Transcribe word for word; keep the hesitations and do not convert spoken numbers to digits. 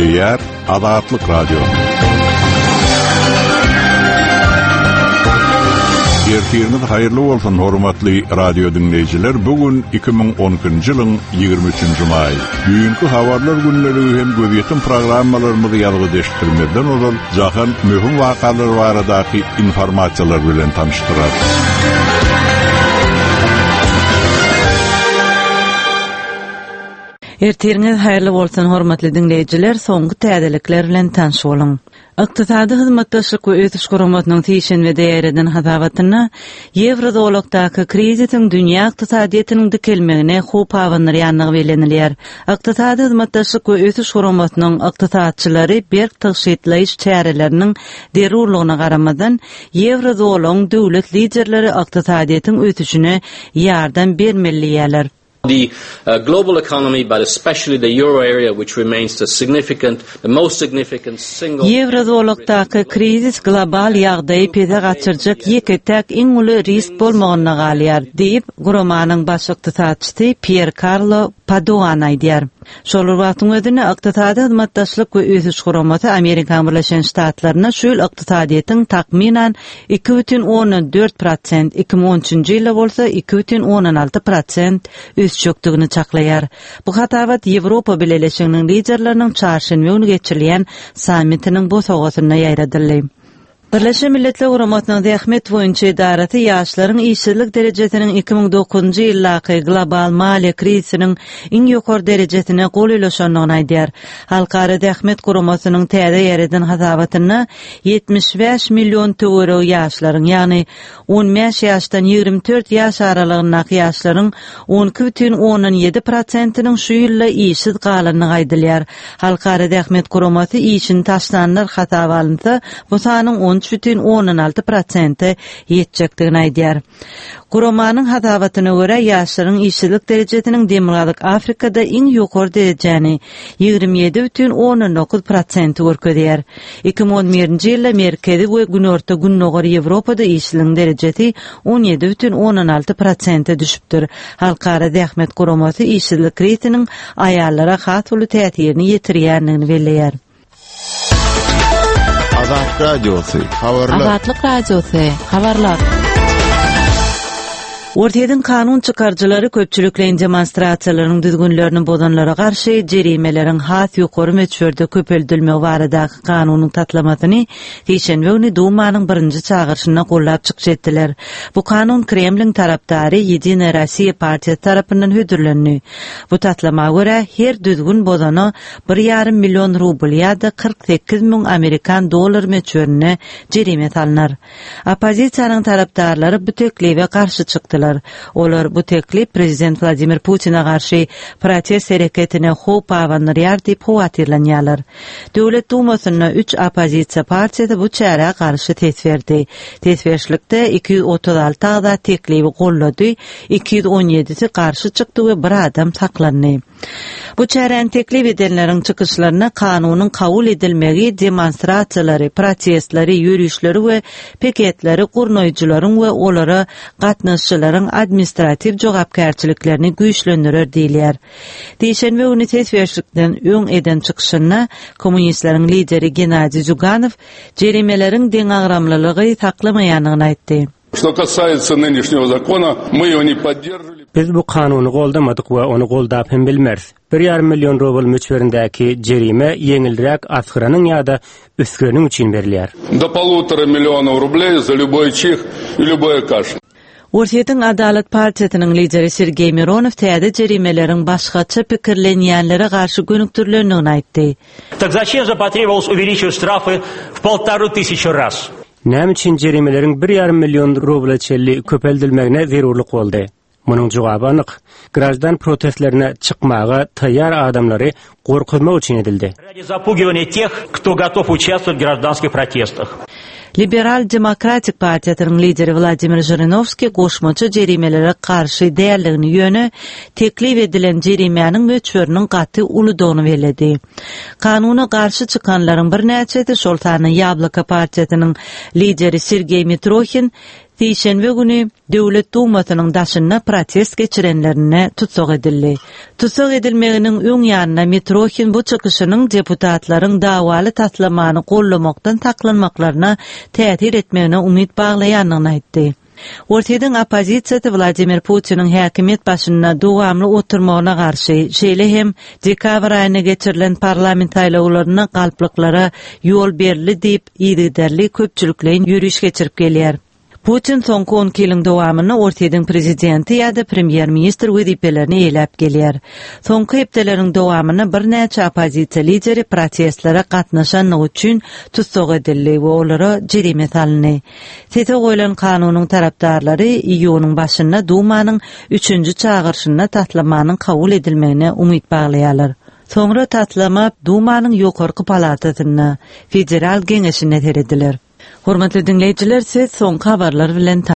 Gepleýär Azatlyk Radiosy. Ertiriňiz haýyrly bolsun hormatly radio diňleýjiler. Bu gün iki müň on ikinji ýylyň ýigrimi üçünji maý. Düýnki habarlar günlügi hem gözýetim programmalarymyzy ýazgy deşdirmezden ozal jahan möhüm wakalar baradaky informasiýalar bilen tanyşdyrar. Ertiriňiz haýyrly bolsun hormatly diňleýjiler, soňky täzelikler bilen tanyş boluň. Ykdysady hyzmatdaşlyk we ösüş guramasynyň sişenbede ýaýradan hasabatynda Ýewrozolakdaky krizisiň dünýä ykdysadyýetiniň dikelmegine howp abandyrýandygy bellenilýär. Ykdysady hyzmatdaşlyk we ösüş guramasynyň ykdysatçylary berk tygşytlaýyş çäreleriniň zerurlygyna garamazdan Ýewrozolagyň döwlet liderleri ykdysadyýetiň ösüşine ýardam bermeli diýýärler. The, uh, global economy, but especially the euro area, which remains the significant, the most significant single Ýewrozolakdaky krizis global ýagdaýy pese gaçyrjak ýeke-täk iň uly risk bolmagyna galýar, diýip, guramanyň baş ykdysatçysy Pier Carlo Padoan aýdýar. Şol bir wagtyň özünde ykdysady hyzmatdaşlyk we ösüş guramasy Amerika Birleşen Ştatlaryna şu ýyl ykdysadyýetiň takmynan iki bütin ondan dört prosent, iki müň on üçünji ýylda bolsa iki bütin ondan alty prosent ösjekdigini çaklaýar. Bu hasabat Ýewropa Bileleşiginiň liderleriniň çarşenbe güni geçirilýän sammitiniň bosagasynda ýaýradyldy. Birleşen Milletler Guramasynyň zähmet boýunça edarasy ýaşlaryň işsizlik derejesiniň iki müň dokuzynjy ýyldaky global maliýe krizisiniň iň ýokary derejesine gol ulaşandygyny aýdýar. Halkara Zähmet Guramasynyň täze ýaýradan hasabatynda ýetmiş bäş million töweregi ýaşlaryň, ýagny on bäş ýaşdan ýigrimi dört ýaş aralygyndaky ýaşlaryň on iki bütin ondan ýedi prosentiniň şu ýylda işsiz galandygy aýdylýar. Halkara Zähmet Guramasy işini taşlanlar hasaba alynsa, bu sanyň on üç bütin ondan alty prosente ýetjekdigini aýdýar. Guramanyň hasabatyna görä ýaşlaryň işsizlik derejesiniň Demirgazyk Afrikada iň ýokary derejäni ýigrimi ýedi bütin ondan dokuz prosenti görkezýär. Iki müň on birinji ýylda Merkezi we Günorta Gündogar Ýewropada işsizligiň derejesi on ýedi bütin ondan alty prosente düşüpdir. Halkara Zähmet Guramasy işsizlik krizisiniň aýallara has uly täsirini ýetirýändigini belleýär. Azat Radiosy, habarlar. Azatlyk Radiosy, habarlar. Ortaýdyň kanun çykaryjylary köpçülikleýin demonstrasiýalaryň düzgünlerini bozanlara garşy jerimeleriň has ýokary möçberde köpeldilmegi baradaky kanunyň taslamasyny sişenbe güni Dumanyň birinji çagyryşynda gollap çykyş etdiler. Bu kanun Kremliň tarapdary Ýedina Rossiýa partiýasy tarapyndan hödürlendi. Bu taslama görä her düzgün bozana bir ýarym million rubl ýa-da kyrk sekiz müň Amerikan dollar möçberinde jerime salynar. Oppozisiýanyň tarapdarlary bu teklibe garşy çykdylar. Olar bu teklip Prezident Vladimir Putin'e garşy protest hereketine howp abandyrýar diýip howatyrlanýarlar. Döwlet Dumasynda üç oppozisiýa partiýasy bu çärä garşy ses berdi. Ses berişlikde iki ýüz otuz alty agza teklibi gollady, iki ýüz on ýedisi garşy çykdy we bir adam saklandy. Bu çäräni teklip edenleriň çykyşlaryna kanunyň kabul edilmegi demonstrasiýalary, protestleri, ýörişleri we piketleri gurnaýjylaryň we olara gatnaşyjylaryň administratiw jogapkärçiliklerini güýçlendirer diýilýär. Dişenbe güni ses berişlikden öň eden çykyşynda kommunistleriň lideri Gennadiy Zyuganow jerimeleriň deňagramlylygy saklamaýandygyny aýtdy. Что касается нынешнего закона, мы его не поддерживали. Biz bu kanuny goldamadyk we ony goldap hem bilmeris. Bir ýarym million rubl möçberindäki jerime ýeňilräk asgyranyň ýa-da üsgüreniň üçin berilýär. До полутора миллионов рублей за любой чих и любой кашель. Ortaýdyň Adalat partiýasynyň lideri Sergey Mironow täze jerimeleriň başgaça pikirlenýänlere garşy gönükdirilendigini aýtdy. Так зачем же потребовалось увеличивать штрафы в полторы тысячи раз? Näme üçin jerimeleriň bir ýarym million rubla çenli köpeldilmegine zerurlyk boldy? Munuň jogaby anyk. Grajdan protestlerine çykmaga taýýar adamlary gorkuzmak üçin edildi. Ради запугивания тех, кто готов участвовать в гражданских протестах. Liberal Demokratik partiýasynyň lideri Vladimir Jirinovskiy goşmaça jerimelere garşy däldigini ýöne teklip edilen jerimäniň möçberiniň gaty uludygyny belledi. Kanuna garşy çykanlaryň birnäçesi şol sanda Ýabloko partiýasynyň lideri Sergey Mitrohin Sişenbe güni Döwlet Dumasynyň daşynda protest geçirenlerine tutsag edildi. Tutsag edilmeginiň öň ýanyna Mitrohin bu çykyşynyň deputatlaryň dawaly taslamany gollamakdan saklanmaklaryna täsir etmegine umyt baglaýandygyny aýtdy. Orsýetiň oppozisiýasy Wladimir Putiniň häkimiýet başynda dowamly oturmagyna garşy, şeýle hem dekabr aýynda geçirilen parlament saýlawlaryna galplyklara ýol berildi diýip, yzygiderli köpçülikleýin ýöriş geçirip gelýär. Putin soňky on iki ýylyň dowamynda Orsýetiň prezidenti ýa-da premýer-ministr wezipelerini eýläp gelýär. Soňky hepdeleriň dowamynda birnäçe oppozisiýa lideri protestlere gatnaşanlygy üçin tussag edildi we olara jerime salyndy. Sese goýlan kanunyň tarapdarlary iýunyň başynda Dumanyň üçünji çagyryşynda taslamanyň kabul edilmegine umyt baglaýarlar. Soňra taslama Dumanyň ýokarky palatasynda, Federal Geňeşinde serediler. Hormatly dinleýjiler, siz soňky habarlar bilen